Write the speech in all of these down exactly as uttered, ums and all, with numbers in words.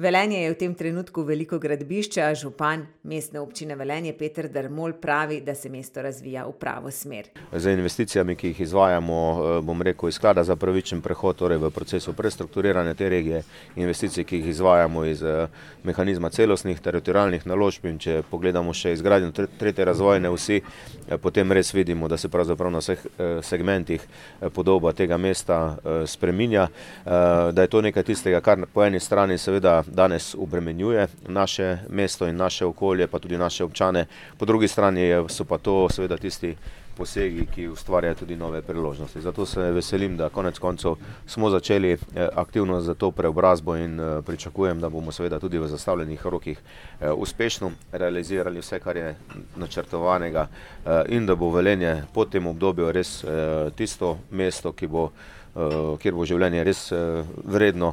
Velenje je v tem trenutku veliko gradbišče, a župan Mestne občine Velenje Peter Dermol pravi, da se mesto razvija v pravo smer. Z investicijami, ki jih izvajamo, bom rekel, iz sklada za pravičen prehod, torej v procesu prestrukturiranja te regije, investicij, ki jih izvajamo iz mehanizma celostnih teritorialnih naložb, in če pogledamo še izgradnjo tretje razvojne osi, potem res vidimo, da se pravzaprav na vseh segmentih podoba tega mesta spreminja, da je to nekaj tistega, kar po eni strani seveda danes obremenjuje naše mesto in naše okolje, pa tudi naše občane, po drugi strani so pa to seveda tisti posegi, ki ustvarjajo tudi nove priložnosti. Zato se veselim, da konec koncev smo začeli aktivno za to preobrazbo in pričakujem, da bomo seveda tudi v zastavljenih rokih uspešno realizirali vse, kar je načrtovanega, in da bo Velenje po tem obdobju res tisto mesto, ki bo kjer bo življenje res vredno,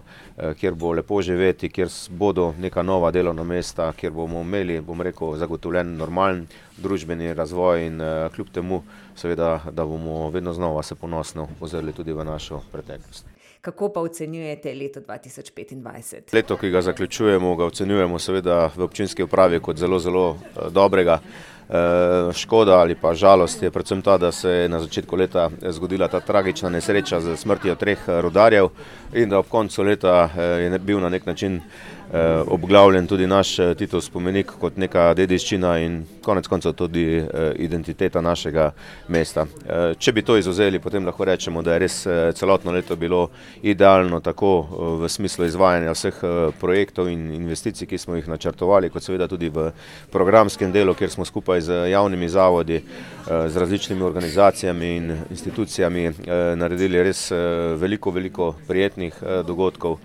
kjer bo lepo živeti, kjer bodo neka nova delovna mesta, kjer bomo imeli, bom rekel, zagotovljen normalen družbeni razvoj in kljub temu seveda, da bomo vedno znova se ponosno ozrli tudi v našo preteklost. Kako pa ocenjujete leto dva tisoč petindvajset? Leto, ki ga zaključujemo, ga ocenjujemo seveda v občinski upravi kot zelo, zelo dobrega. Škoda ali pa žalost je predvsem ta, da se je na začetku leta zgodila ta tragična nesreča z smrtjo treh rudarjev in da ob koncu leta je bil na nek način obglavljen tudi naš Titov spomenik kot neka dediščina in konec koncev tudi identiteta našega mesta. Če bi to izvzeli, potem lahko rečemo, da je res celotno leto bilo idealno tako v smislu izvajanja vseh projektov in investicij, ki smo jih načrtovali, kot seveda tudi v programskem delu, kjer smo skupaj z javnimi zavodi, z različnimi organizacijami in institucijami naredili res veliko, veliko prijetnih dogodkov.